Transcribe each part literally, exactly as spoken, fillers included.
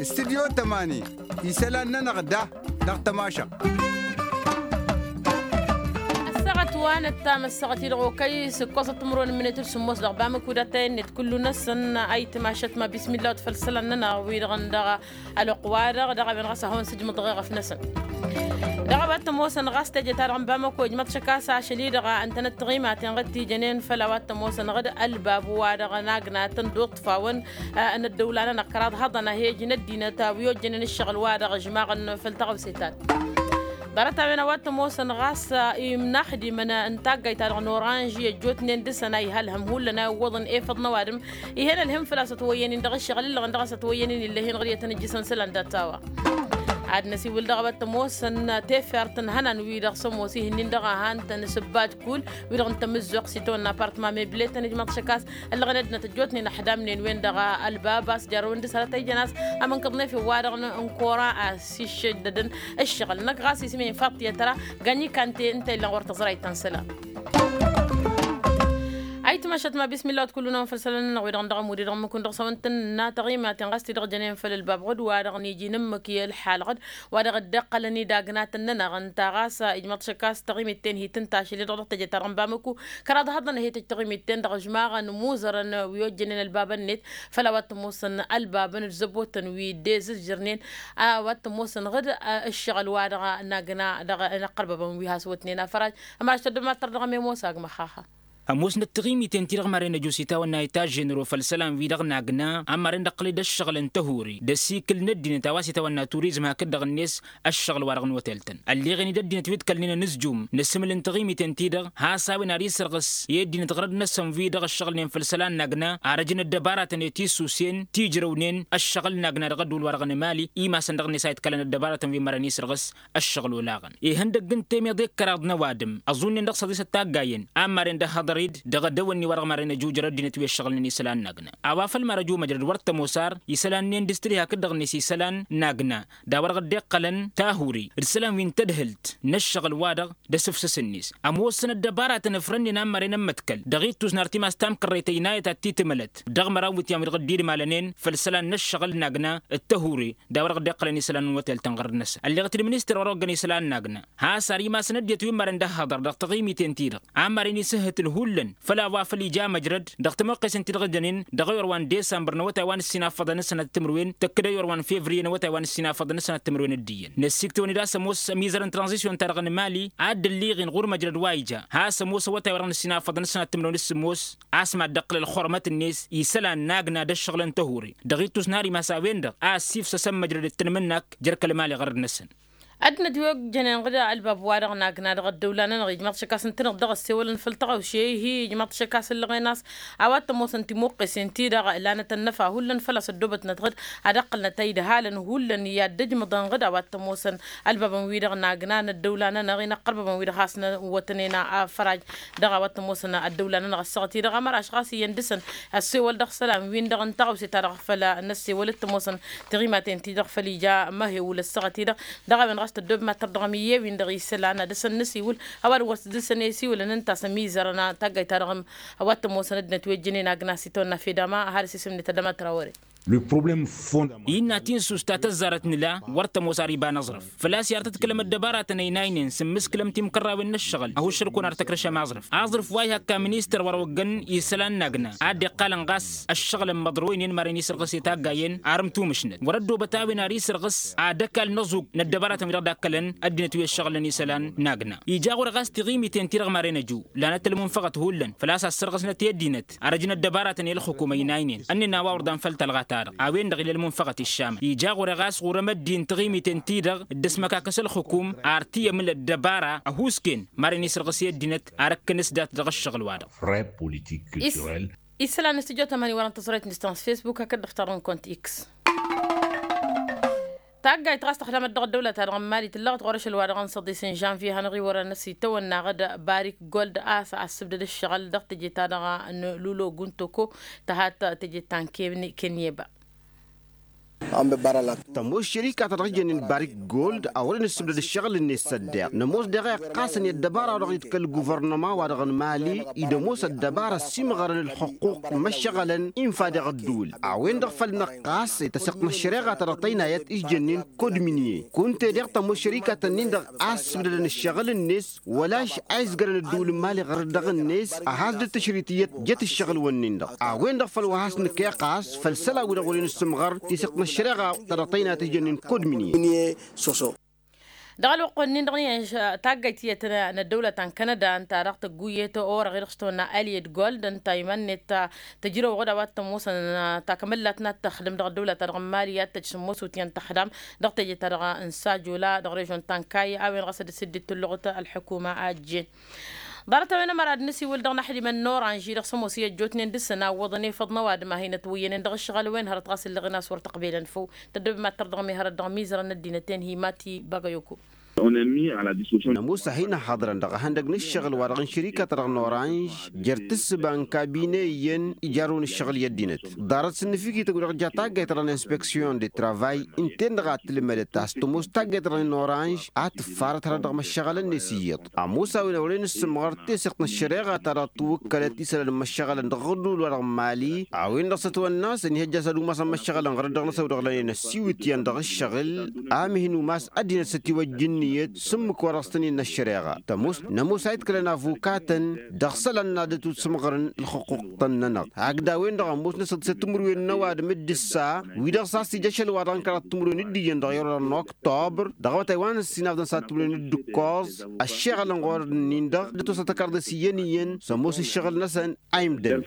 Studyo tămani isălan-nănăɣ da dăɣ-tămašăɣt. Ăssaɣăt wa năttam ăssaɣăt-i-dăɣ okăy s-ǝkkoẓăt timǝrwen n-imǝnet d-sǝmmos dăɣ-bamǝk wi d-attăyăn-net kullu-năsăn. Ayǝtmašăt ma bismilla-wăt făll-isălan-nănăɣ wi-dăɣ n-dăɣ ălwăqq-wa-dăɣ dăɣ-a-wen ɣas ad-hawăn-sǝjmǝḍ ɣef-năsăn. Dăɣ-a-wa t-ămoosăn ɣas teje-ta-dăɣ n-bamăko ijmăḍ šăkk a-s ašăl-i-dăɣ ǝntănăt tiɣimaten ɣǝd tijănen făll-a-wa t-ămoosăn ɣǝd ălbab wa-dăɣ n-agnatăn d-uṭṭfawăn n-ăddăwla-nănăɣ kăraḍ hăḍăn a he-ǝjǝn ăddinăt a wi ojjănen ǝššăɣǝl-wa-dăɣ ǝžmaɣăn făll-taɣăwse ta-dăɣ. Ḍarăt-a-wen a-wa t-ămoosăn ɣas imnaxdimăn n-taggayt-ta-dăɣ n-oranž i-ăjjootnen dăr-săn a ihălhăm hullan a iwwăḍăn efăḍ n-ăwadǝm. Ih'-en ălhǝm făl-a-s ătwăyyăn-in dăɣ-ǝššăɣǝl ǝllăɣăn dăɣ-a-s ătwăyyăn-in ill'-e-hin ɣǝr i-ad-tăn-ǝjjǝs n-isălan dat-a-wa. Ad-năsiwǝl dăɣ-a-wa t-ămoosăn tefert n-ihănan-wi-dăɣ s-ămoos ih'-ǝnnin dăɣ-a han-tăn s-ǝbbad kull wi-dăɣ n-tamǝzzuɣt s-itawănna apartăma meble-tăn ijmaḍ šăkk a-s ǝllăɣăn ăddinăt ăjjootnen ăḥdamnen-wen dăɣ-ălbab a-s jarrăwăn dăr-s hărăt a ijăn a-s ămǝnkăḍ n-efew-wa-dăɣ n-kora a-s iššăj dădăn ǝššăɣǝl-năk ɣas isǝm-in faḍt i-ătra. Gănyi kante ǝnta illăn ɣur-tăẓrayt ta n-isălan. Ayǝtmašăt ma bismilla-wăt kullu-năwăn făll-isălan-nănăɣ wi-dăɣ n-dăɣ-ămud i-dăɣ n-mǝkun dăɣ-s a-wa n-tǝnna taɣimaten ɣas ti-dăɣ jănen făll-ălbabɣăd wa-dăɣ n-iji n-ǝmmǝk i-ălxalɣăd wa-dăɣ dd-iqqălăn-dd agnatăn-nănăɣ ǝnta ɣas ijmăḍ šăkk a-s taɣimit-ten hi-tǝnta ašăl-i-dăɣ dăɣ-teje-ta-dăɣ n-bamăku. Kăraḍ hăḍăn a hi-tăj taɣimit-ten dăɣ-ǝžmaɣăn imuzărăn wi ojjănen ălbabăn-net făll-a-wa t-ămoosăn ălbabăn d-zăbotăn wi dd-ezǝzjărnen. A-wa t-ămoosăn ɣǝd ǝššăɣǝl-wa-dăɣ n-agna dăɣ-inăqqărbăbăn wi has-wătnen afăraj. Ămaš tăddăb ma tărdăɣăm i-ămoos agmăx. Haha. Ămoosnăt tiɣimiten-ti-dăɣ maren ăjos itawănna itažžen ro făll-isălan-wi-dăɣ n-agna a maren d-ăqqălăy d-ăššăɣǝl n-tăhuri d-ăsikǝl n-ăddinăt a-wa s-itawănna turizm hakd-dăɣ-net. Ăššăɣǝl-wa-dăɣ n-otel-tăn ălleɣen-dd ăddinăt wi d-kălnen ănǝzjum n-asǝmǝl n-tiɣimiten-ti-dăɣ has-a-wen ar isărɣǝs i-ăddinăt ɣărăd-năsăn wi-dăɣ ăššăɣǝlnen făll-isălan n-agna ar ăjǝn ăddăbaratăn i-tisusen tijrăwnen ăššăɣǝl n-agna dăɣ-ădduul-wa-dăɣ n-emali imasăn dăɣ-net a itkălăn ăddăbaratăn wi n-mărăn isărɣǝs. Ăššăɣǝl olaɣăn ihăndăgg n-temeḍe d-kăraḍ n-ăwadǝm ăẓunnen dăɣ-săḍisăt taggayen a n-maren d-ăhhăḍăr-dd dăɣ-edăwănni-wa-dăɣ maren ăjujăr ăddinăt wi ăššăɣǝlnen isălan n-agna. A-wa făl mare ăju măjrăd wăr t-ămoos ar isălan-nen d-s tǝlhi hakd-dăɣ-net isălan n-agna d-a-wa-dăɣ dd-iqqălăn tahuri d-isălan wi n-tadhǝlt n-ăššăɣǝl-wa-dăɣ d-asǝfsǝs-net. Ămoosăn ăddăbaratăn ǝfrănnen a n-maren ămmăḍkăl dăɣ-ittus n-artimas tamkărrayt ăynayăt ad-t-tǝmǝlăt dăɣ-măraw n-iwǝtyan wi-dăɣ dd-idmalănen făll-isălan n-ăššăɣǝl n-agna d-tahuri d-a-wa-dăɣ dd-iqqălăn isălan n-otel-tăn ɣărăd-năsăn ălleɣăt-dd ministăr wa dăɣ-oggăn isălan n-agna. Has-ar imasăn ăddinăt wi n-mărăn d-ăhhăḍăr dăɣ-taɣimiten-ti-dăɣ a n-mărăn isǝhhǝtǝl hullan făll-a-wa făl ija măjrăd dăɣ-timoqqesen-ti-dăɣ jănen dăɣ-ewăr wa n-desămbăr n-awătay wa n-ǝssin afăḍăn d-sănat timǝrwen tăkk-dd ewăr wa n-fevriye n-awătay wa n-ǝssin afăḍăn d-sănat timǝrwen d-iyyăn. Năssiktăwăn-dd a-s ămoos ămizăr n-tranzisyon-ta-dăɣ n-mali a dd-ălliɣen ɣur-măjrăd wa ija has-ămoos awătay wa dăɣ-nǝssin afăḍăn d-sănat timǝrwen d-sǝmmos a-s mad-dd-ăqqǝl ălxurmăt-net isălan n-agna d-ăššăɣǝl n-tăhuri. Dăɣ-ittus n-ar imas a-wen-dăɣ a ăssifsăsăn măjrăd d-tanmǝnnak jer-kăl-mali ɣărăd-năsăn. Ăddinăt wi ojjănen ɣǝd ălbab-wa-dăɣ n-agna dăɣ-ăddăwla-nănăɣ ijmaḍ šăkk a-s ǝntăneḍ dăɣ-ăssewălăn făll-tăɣawše-hi ijmaḍ šăkk a-s ǝllăɣen a-s a-wa t-ămoosăn timuqqesen-ti-dăɣ lanăt ănnăfa hullan făl-a-s ăddoobătnăt ɣǝd ad-ăqqǝlnăt a-idhalăn hullan i-ad-dd-ǝjmǝḍăn ɣǝd a-wa t-ămoosăn ălbabăn-wi-dăɣ n-agna n-ăddăwla-nănăɣ inăqqărbăbăn-wi-dăɣ has-năwwătnen afăraj. Dăɣ-a-wa t-ămoosăn ăddăwla-nănăɣ ăssaɣăt-i-dăɣ ămăraš ɣas iyyăn dăr-săn ăssewăl dăɣ-isălan-win-dăɣ n-taɣawse-ta-dăɣ făll-năssewăl d-tămoosăn tiɣimaten-ti-dăɣ făll-ija măhewǝl ăssaɣăt-i-dăɣ. Dăɣ-a-wen ɣas tăddoobem ad-tărdăɣăm iyyăn-win-dăɣ isălan ad-dăr-săn nǝsiwǝl. Ăwadǝm wăr s-dăr-săn i-siwǝlăn ǝnta a-s ămizărăn taggayt-ta-dăɣ a-wa t-ămoosăn ăddinăt wi ăjjănen agna s-itawănna fedama har s-isǝmnet ad-ămatra wăren. Innă tinsust ta tăzzarăt nǝla wăr tămoos ar iba n-aẓrǝf făl-a-s i-ar tǝtkǝlăm ăddăbaratăn ăynaynen s-ǝmmǝskǝlăm timkărrawen n-ǝššăɣǝl ăhuššăl-kăwăn ar tăkrăšăm aẓrǝf. Aẓrǝf wa ihăkka ministăr wa dăɣ-oggăn isălan n-agna a dd-iqqalăn ɣas ăššăɣǝl n-imăḍrăwen i-ănmaren isărɣǝs i-taggayen ar ǝmtumǝšnăt wăr-ăddoobăt a-wen ar isărɣǝs ad-ăkall n-aẓug n-ăddăbaratăn wi-dăɣ dd-akkălăn ăddinăt wi ăššăɣǝlăn isălan n-agna. Ija ɣur-e ɣas tiɣimiten-ti-dăɣ maren ăju lanăt ălmunfăɣăt hullan făl-a-s ăssărɣǝsnăt i-ăddinăt ar ăjǝn ăddăbaratăn i-ălxǝkum ăynaynen ănnǝnna wa wăr dan făll-tălɣa-ta-dăɣ a-wen-dăɣ ila ălmunfăɣăt iššamăn. Ija ɣur-e ɣas ɣur-emăddi n-tiɣimiten-ti-dăɣ dd-ăsmăkakăs ălxǝkum ar t-iyămǝl ăddăbara ăhuusken maren isărɣǝs i-ăddinăt ar ǝkkǝnǝs dat dăɣ-ăššăɣǝl-wa-dăɣ. Isălan n-studyo tămani wăren tăẓrăyt n-distans facebook hakd dăɣ-tarrǝnkont x. Taggayt ɣas tăxdamăt dăɣ-ăddăwlăt-ta-dăɣ n-mali tǝllăɣăt ɣur-ašăl-wa-dăɣ n-săḍis n-žănvye hanăɣ-iwărăn ăsitawănna ɣǝd barik gold a-s ăssǝbdăd ǝššăɣǝl dăɣ-teje-ta-dăɣ n-lulo guntoko. Tăhat teje ta n-kenyeba. Tămoos šărika-ta-dăɣ ijănnen barik gold a wăren ǝssǝbdăd ǝššăɣǝl-net s-ăddeɣ nămoos daɣ a iqqasăn i-ăddăbara-wa-dăɣ dd-kăl-guvărnăma-wa-dăɣ n-imali. Id-ămoos ăddăbara ăsimɣărăn ǝlxǝqquq n-imăššăɣălăn infa deɣ ădduul. A-wen-dăɣ făl năqqas i-tăsiqt n-ăššăreɣa-ta-dăɣ tăynayăt ǝžjănnen kod mǝnye kunta-e-dăɣ tămoos šărika-tăn-in-dăɣ a ǝssǝbdădăn ǝššăɣǝl-net wăla-š a izgărăn ădduul n-imali ɣur-dăɣ-net. A has-dd-tǝšrit iyyăt jăt ǝššăɣǝl-wǝnnin-dăɣ a-wen-dăɣ făl wa has-nǝkkeɣ ɣas făll-isălan-wi-dăɣ wăren ǝssǝmɣăr tisiqt n-ăššăreɣa-ta-dăɣ tăynayăt ǝžjănnen kod mǝnye. Dăɣ-ălwăqq-wǝnnin-dăɣ n-iyyăn taggayt tiyyăt n-ăddăwlăt ta n-kanăda ǝnta-dăɣ tăgguyyăt orăɣ-i-dăɣ s-tăwănna ălyăt gold ǝnta iman-net. Tăjrăwăɣ-dd a-wa t-ămoosăn takmăllat n-ad-tăxdǝm dăɣ-ăddăwlăt-ta-dăɣ n-imali ad-tăj s-ămoos utyan tăxdam dăɣ-teje-ta-dăɣ n-sajola dăɣ-režon ta n-kayy a-wen ɣas ad-dd-sǝddit tǝlluɣt ălḥukuma a ăjjeen. Ḍarăt-a-wen ămăra d-nǝsiwǝl dăɣ-inăxdimăn n-oranž-i-dăɣ s-ămoos i-ăjjootnen dăɣ-săn a ǝwwăḍăn efăḍ n-ăwadǝm a hin-ătwăyyănen dăɣ-ǝššăɣǝl-wen hărăt ɣas ǝlleɣ-in a-s wăr tăqbelăn făw. Tăddobem ad-tărdăɣăm i-hărăt dăɣ-imizărăn n-ăddinăt-en hi-mati bagăyoko. Nămoos a hin-ăhhăḍrăn dăɣ-ehăndăgg n-ǝššăɣǝl-wa-dăɣ n-šărikăt-ta-dăɣ n-oranž jer-tǝssǝba n-kabine iyyăn ijarrăwăn ǝššăɣǝl i-ăddinăt. Ḍarăt s-ǝnnǝfikităn-wi-dăɣ ja taggayt-ta-dăɣ n-inspeksiyon de travay ǝnta-en-dăɣ a t-tǝlmădăt a-s tămoos taggayt-ta-dăɣ n-oranž a tǝffarăt hărăt dăɣ-imăššăɣălăn-net iyyăḍ. Ămoos a-wen a wăren ǝssǝmɣăr tesăɣt n-ăššăreɣa-ta-dăɣ tǝwwǝkkălăt isălan n-imăššăɣălăn dăɣ-aɣǝḍul-wa-dăɣ n-imali. A-wen-dăɣ s-ătwănna a-s ănihăjja s-ad-umasăn imăššăɣălăn ɣur-dd-dăɣ-năsăw-dăɣ lănen ăssiwǝtyan dăɣ-ǝššăɣǝl a mǝhǝn umas ăddinăt s-ătiwăjj ǝnniyăt s-ǝmmǝk-wa-dăɣ s-tăn-innă ăššăreɣa. Tămoos nămoos a itkălăn avukatăn dăɣ-isălan n-ad-ătwǝd s-ǝmɣărăn ǝlxǝqquq-tăn-nănăɣ hakd a-wen-dăɣ ămoosnăsăt s-timǝrwen n-ăwadǝm d-ǝssa. Wi-dăɣ s-a-s ija ašăl wa dăɣ-n kăraḍ timǝrwen d-iyyăn dăɣ-i-orăr n-oktobăr dăɣ-awătay wa n-ǝssin afḍăn s-ad-timǝrwen d-ǝkkoẓ. Ăššeɣălăn ɣur-dd-ǝnnin-dăɣ d-ătwăsăt ăkarḍes iyyăn iyyăn s-ămoos ǝššăɣǝl-năsăn a imdăn.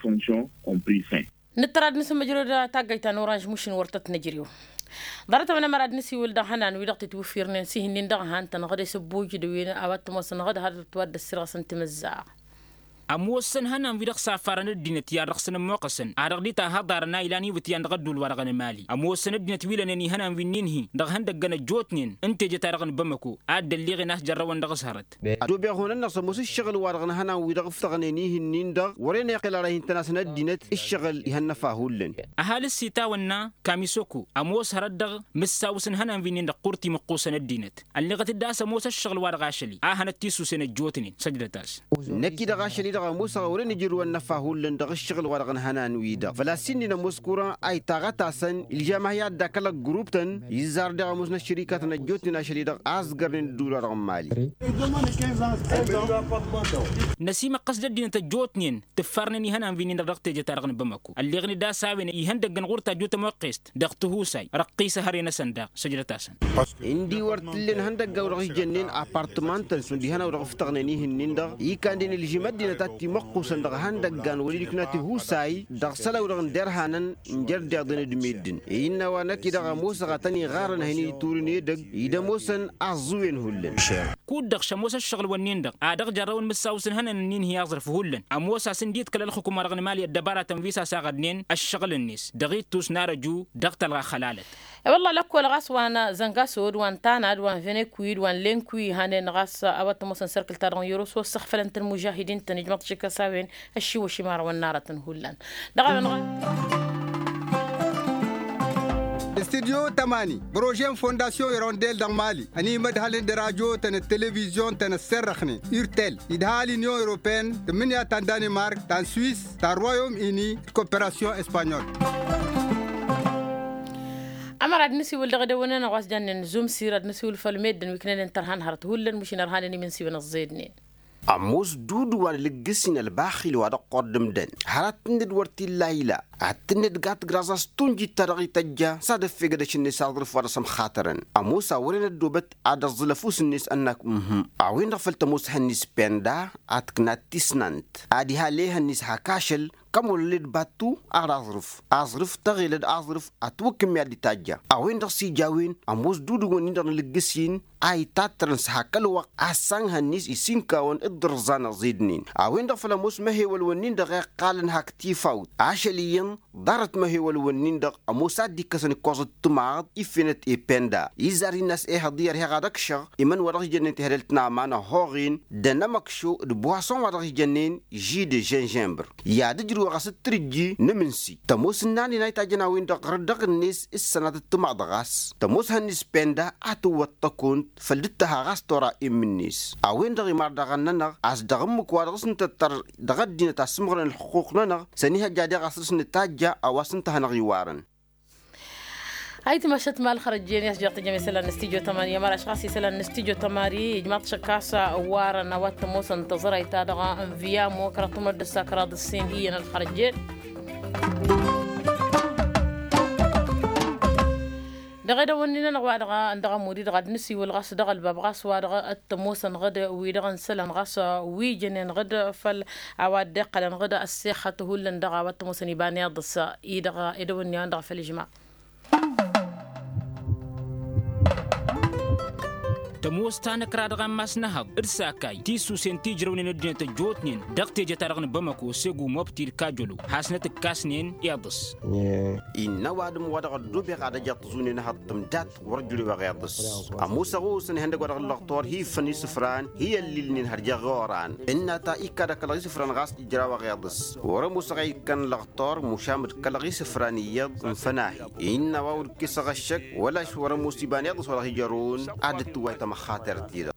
Nǝttăr ad-nǝsǝmmǝjrăw d-taggayt ta n-oranž mušin wăr tăt-nǝjrew. Ḍarăt-a-wen ămăra d-nǝsiwǝl dăɣ-ihănan-wi-dăɣ tǝtwǝffirnen s-ihǝnnin dăɣ-ehăn-tăn ɣǝd-e s-ǝbbuj d-ewin a-wa t-ămoosăn ɣǝd har d-ătwăr d-ăssirɣăsăn timǝzzaɣ. Ămoosăn ihănan-wi-dăɣ s-affarăn ăddinăt i-ad-dăɣ-săn ămmoqqăsăn ad-dăɣ-dd-tahăḍarăn a ilan iwǝtyan dăɣ-ădduul-wa-dăɣ n-emali ămoosăn ăddinăt wi lănen ihănan wi n-inhi dăɣ-ihăndăggăn ăjjootnen n-teje-ta-dăɣ n-bamăko ad-dd-ălliɣen a-s jărrăwăn dăɣ-s hărăt. Ăddoobeɣ hunănnăɣ s-ămoos ǝššăɣǝl-wa-dăɣ n-ihănan-wi-dăɣ ǝftăɣnen ihǝnnin-dăɣ wăren iqqǝl ara hin-tăn-asăn ăddinăt ǝššăɣǝl ihănnăfa hullan. Ăhalǝs itawănna kamisoko ămoos hărăt dăɣ-mǝssawǝs n-ihănan-wi-nin-dăɣ ɣur-timǝqqusăn ăddinăt ălleɣăt-dd a-s ămoos ăššăɣǝl-wa-dăɣ ašăl-i a hanăt-tisusen ăjjootnen săjdăt-as. Năkk-i-dăɣ ašăl-i-dăɣ ămoosăɣ a wăren ijrǝwăn n-ăfa hullan dăɣ-ǝššăɣǝl-wa-dăɣ n-ihănan-wi-dăɣ făl-a-s inn'-in ămoos kuran a itaɣăt-asăn ilžam a hi-ad-dd-akăl ăgguruptăn izzar daɣ ămoosnăt šărikatăn ăjjootnen ašăl-i-dăɣ a ăzgărnen ădduul-wa-dăɣ n-imali. Năsimăqqăs d-ăddinăt ăjjootnen tǝffarnen ihănan-wi-nin-dăɣ dăɣ-teje-ta-dăɣ n-bamăko ălleɣăn-dd a-s a-wen ihăndăggăn ɣur-tajjut ămoqqest dăɣ-tihusay răqqisăhăre-năsăn daɣ săjdăt-asăn. Indi wăr t-ǝllen ihăndăgga-w-dăɣ ǝjjănnen apartăman-tăn šund ihănaw-dăɣ ǝftăɣnen ihǝnnin-dăɣ ikanden ǝlžim ăddinăt ad-t-imăqqusăn dăɣ-ihăndăggan wăr-dd-ikna tihusay dăɣ-isălan-wi-dăɣ n-derhanăn n-jer-deḍen d-meddǝn. Innă a-wa năkk-i-dăɣ ămoosăɣ a tăn-iɣarrăn a hin-iturǝn edăgg ida ămoosăn aẓẓǝwen hullan. Kud-dăɣ šămoos ăššăɣǝl-wǝnnin-dăɣ a dăɣ-jarrăwăn mǝssaw s-ǝnhănăn ǝnnin hi-aẓrǝf hullan ămoos a-s ǝndiḍkăl ălxukuma-dăɣ n-imali ăddăbaratăn wi s-asăɣădnen ăššăɣǝl-net dăɣ-ittus n-arăju dăɣ-talɣa xălalăt. I-wălla lăkkol ɣas wa n-zăngasod wa n-tanad wa n-venekwid wa n-lenkwi hanen ɣas a-wa t-ămoosăn sărkǝl-ta-dăɣ n-yăros wa ăssăxfălăn-tăn mužahidin-tăn ijmăḍ šik a-s a-wen ăššiwăš imarăwăn n-arătăn hullan. Dăɣ-a-wen-dăɣ. Studyo tămani prože n-fondasyon irondel dăɣ-mali ănimădhălăn d-radyo-tăn d-televizyon-tăn ăssărrăxnen urtel idha l-inyon europeen tǝmmǝnǝya ta n-danimark ta n-swis ta n-royom ini d-koperasyon espanyol. Ămăra d-nǝsiwǝl dăɣ-edăwănăn ɣas jannen zumsir ad-nǝsiwǝl făll-meddǝn wi ǝknănen tărhan hărăt hullan mǝšin ărhanen imǝnsiwăn ăẓẓednen. Ămoos dudu wa n-alǝggǝsin ălbaxil wa dăɣ-kord ǝmdăn hărăt tǝnned wăr t-illa ila ad-tǝnned gat graẓ a-s tunjit ta dăɣ-ităjja s-ad-ăffegăd ašǝnne s-aẓrǝf wa dăɣ-sămxatărăn. Ămoos a wăren ăddoobăt ad-ăẓẓǝl ăfuss-net ănnak mhm a-wen-dăɣ făl tămoos ehăn-net penda ad-tǝknat tisnant ad-iha lehăn-net hak ašăl kăm wăr ǝlled battu ar aẓrǝf aẓrǝf tăɣelăd aẓrǝf ătwǝkkǝm i-ad-dd itajja. A-wen-dăɣ s-ija a-wen ămoos dudǝwăn-in-dăɣ n-alǝggǝsin a itattărăn s-hak ălwăqq a ăssanhăn-net isinkawăn d-iḍǝrẓan ăẓidnen. A-wen-dăɣ făl ămoos măhewăl-wǝnnin-dăɣ iqqalăn hak tifawt ašăl iyyăn ḍarăt măhewăl-wǝnnin-dăɣ ămoos a dd-ikkăsăn ǝkkoẓăt timaḍ iffenăt ependa izzar innă a-s ehăḍ i-ărheɣ ad-ăkšăɣ imăn wa dăɣ-s jănnen tehădălt n-aman ăhoɣen d-anămăkšo d-boison wa dăɣ-s jănnen žide žănžănbăr. I-ad-ǝjrǝw wa ɣas d-tǝrǝjji n-emǝnsi tămoos ǝnnanen a itajjăn a-wen-dăɣ ɣăr dăɣ-net s-sănatăt timaḍ ɣas tămoos hănnis penda a tǝwwăḍ tăkunt făll-dd-tăha ɣas tora immǝnnes a-wen-dăɣ imar daɣ ănnănăɣ a-s dăɣ-ǝmmǝk wa dăɣ-s nǝtăttăr dăɣ-ăddinăt asǝmɣărăn ălxuqq-nănăɣ. Săn ihăjja daɣ a-s dăr-s nǝtajja a-wa s-ǝnta a hanăɣ-iwarăn. Ayǝtmašăt ma ălxărăjjen i-a-s jer-tǝjjăm isălan n-studyo tămani i-amăraš ɣas isălan n-studyo tămani ijmaḍ šăkk a-s warăn a-wa t-ămoosăn tăẓrayt-ta-dăɣ n-viyamo kăraḍ timǝrăt d-ǝssa kăraḍ ǝssin iyyăn ălxărăjjen. Dăɣ-edăwănni-nănăɣ wa dăɣ-a ǝndăɣ ămud-i-dăɣ ad-nǝsiwǝl ɣas dăɣ-ălbab ɣas wa dăɣ-a t-ămoosăn ɣǝd wi-dăɣ n-isălan ɣas wi jănen ɣǝd făll-a-wa dd-iqqălăn ɣǝd ăssexăt hullan dăɣ-a-wa t-ămoosăn iba n-iḍǝs-i-dăɣ edăwănni-a-wen-dăɣ făll-ijmaḍ. Tămoos ta n-ăkra dăɣ-ammas n-ehăḍ d-sakay tisusen ti ǝjrăwnen ăddinăt ăjjootnen dăɣ-teje-ta-dăɣ n-bamăko segu mobti d-kajălo hasnăt-ǝkkasnen iḍǝs. Innă ăwadǝm wa dăɣ-ăddobeɣ ad-ăj iṭṭăẓunen ehăḍ tǝmdat wăr jărew eɣeḍăs. Ămoosăɣ osăn ihăndăgg wa dăɣ-ǝllăɣtor hi-iffăn isǝfran hi-ăllilnen har jeɣ i-oran ǝnna ta ikkad ăkkălăɣ isǝfran ɣas ijraw eɣeḍăs. Wăr-ămoosăɣ a ikkăn ǝllăɣtor mušam d-kălăɣ isǝfran iyyăḍ n-fănahi. Innă a-wa wăr-ǝkkesăɣ ăššăk wăla š-wăr-ămoos iba n-iḍǝs wa dăɣ-ijărrăwăn ad-dd-tǝwway tamăxxatert-i-dăɣ.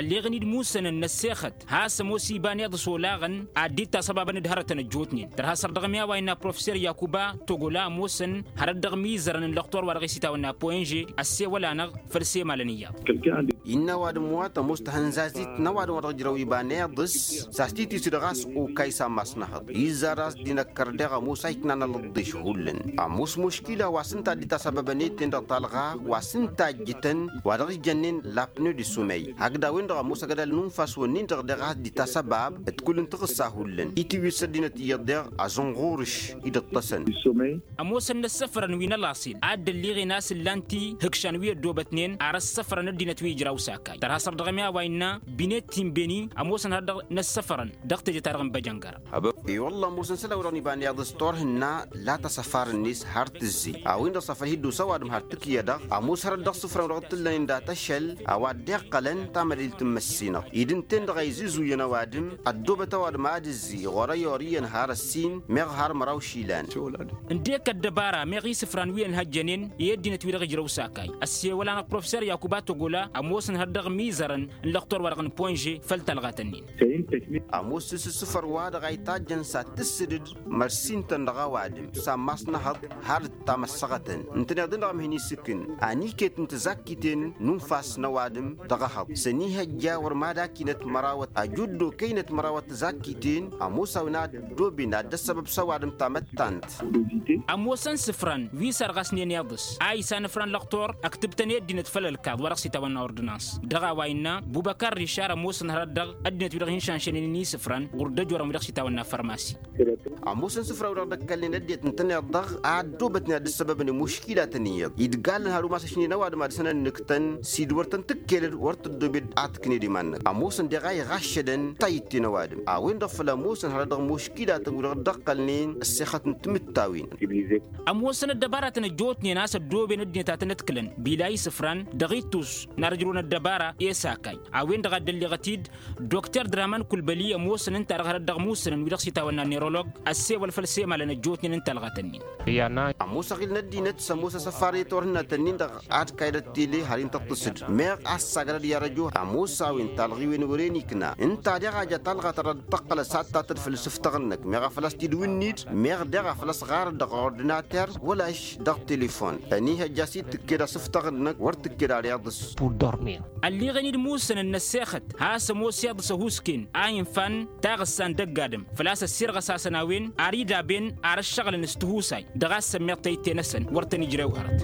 Ălleɣăn-dd musănăn n-ăssexăt has-ămoos iba n-iḍǝs olaɣăn ad-dd-tasăbabăn d-hărătăn ăjjootnen tărha săr dăɣ-mi a-wa innă professer yakuba togola ămoosăn hărăt dăɣ-mizărăn n-lăxtor wa dăɣ-isitawănna poyǝnže ăssewăl-anăɣ făll-semalăn iyyăḍ. Innă ăwadǝm wa tămoos tahănzazit n-ăwadǝm wa dăɣ-ǝjrăw iba n-iḍǝs s-a-s titǝsǝd ɣas okay s-ammas n-ehăḍ izzar a-s dd-inăkkăr deɣ ămoos a iknan alăḍḍeš hullan. Ămoos muškila wa s-ǝnta a dd-itasăbăbăn i-ten-dăɣ talɣa wa s-ǝnta a ǝjjǝtăn wa dăɣ-s jănnen lapneu d-isumey hakd a-wen-dăɣ ămoos ăgg ădal n-unfas-wǝnnin-dăɣ deɣ a-s dd-itasăbab d-kull n-taɣǝssa hullan itǝwwǝsăd dinăt iyyăḍ deɣ azǝnɣurǝš-i d-ǝṭṭăsăn. Ămoosăn n-ăssăfrăn wi n-ălaṣel a dd-ălliɣen a-s ǝllan-t ihǝkšan wi ăddoobătnen ar ăssăfrăn ăddinăt wi ǝjraw sakay tărha săr dăɣ-ămi a-wa innă binet tinbeni ămoosăn hărăt dăɣ-năssăfrăn dăɣ-teje-ta-dăɣ n-băjăngăr. I-wălla ămoosăn isălan-wi-dăɣ n-iba n-iḍǝs turhǝnna la tasăfar-net har tǝzzey a-wen-dăɣ s-afăl hi-dd-osa ăwadǝm har tǝkǝyădăɣ ămoos hărăt dăɣ-isǝfran-wi-dăɣ t-ǝllănen data ašăl a-wa dd-iqqălăn tamădăylt n-măssinăɣ-i d-ǝnta-en-dăɣ a izǝzuyăn ăwadǝm ăddoobăt ăwadǝm ad-ǝzzǝy ɣur-ăyy orǝyăn har ăssin meɣ har măraw išilan. Ǝndek ăddăbara meɣ isǝfran wi ănhăjjănen i-ăddinăt-wi-dăɣ ǝjrăw sakay ăssewăl-anăɣ professer yakuba togola ămoosăn hărăt dăɣ-mizărăn n-lăxtor-wa-dăɣ n-ponže făll-talɣat-nin. Ămoos s-ǝssǝfăr-wa-dăɣ a itajjăn s-ad-tǝssǝdǝd mărsin-tăn dăɣ-ăwadǝm s-ammas n-ehăḍ har dd-tamăssăɣătăn ǝntăneḍ-en dăɣ-amhin isǝkǝn aniket n-tǝzakkiten n-unfas n-ăwadǝm dăɣ-ehăḍ s-ănihăjja wăr mad-akinăt mărawăt ajuddo kăynăt mărawăt tǝzakkiten ămoos a-wen ad-ăddooben ad-dd-ăssăbăb s-ăwadǝm tamăttant. Ămoosăn isǝfran wi sarɣasnen iḍǝs a isanăfran lăxtor ăktǝbtăn i-ăddinăt făll-ălkaḍ wa dăɣ-s itawănna ordǝnans dăɣ-a-wa innă bubăkar rišar ămoosăn hărăt dăɣ-ăddinăt wi-dăɣ hin-šanšănen i-isǝfran ɣur-dd ăjorăn wi dăɣ-s itawănna fărmasi. Ămoosăn isǝfran wi-dăɣ dd-ăkkălnen ăddinăt ǝntăneḍ-dăɣ a ăddoobătnen ad-dd-ăssăbăbăn i-muškilatăn iyyăḍ idgalăn har umas ăšnen ăwadǝm ad-săn ănnǝktăn s-dd-wăr tăn-tǝkkelăd wăr tăddoobed ad-tǝkned iman-năk ămoosăn deɣ a iɣaššădăn tayǝtte n-ăwadǝm a-wen-dăɣ făl ămoosăn hărăt dăɣ-muškilatăn wi-dăɣ dd-ăqqălnen ăssexăt n-timǝttawen. Ămoosăn ăddăbaratăn ăjjootnen a-s ăddooben ăddinăt a tăn-ădkǝlăn bila isǝfran dăɣ-ittus n-ad-ăjrăwăn ăddăbara i-sakay a-wen-dăɣ a dd-ălleɣăt-dd dokter draman kulbăli ămoosăn ǝnta-dăɣ hărăt dăɣ-musǝnăn wi-dăɣ s-itawănna nerolog ăssewăl făll-semalăn ăjjootnen n-talɣat-nin. Ămoos aɣil n-ăddinăt s-ămoos asăfar i-turhǝnnat-nin-dăɣ ad-kayăd ăttele har intăṭṭǝsǝd meɣ a-s sagădăd i-arăjo ămoos a-wen talɣiwen wăren ikna ǝnta deɣ a ja talɣa ta dăɣ-tăqqălăt s-ad-tatăd făll-isǝftăɣ-năk meɣ a făl ăstidǝw-dd meɣ deɣ a făl ăsɣarăd dăɣ-ordinater wăla-š dăɣ-telefon. Ăniihăjja a-s dd-tǝkked asǝftăɣ-năk wăr tǝkked ar iḍǝs. Ălliɣen-dd musănăn n-ăssexăt has-ămoos iḍǝs ăhuusken a infan taɣǝssa n-dăgg-adǝm făl-a-s ăssirɣăsasăn a-wen ar idaben ar ăššăɣǝlăn s-tihusay dăɣ-a-s sămmeḍ tayǝtte-năsăn wăr tăn-ijrew hărăt.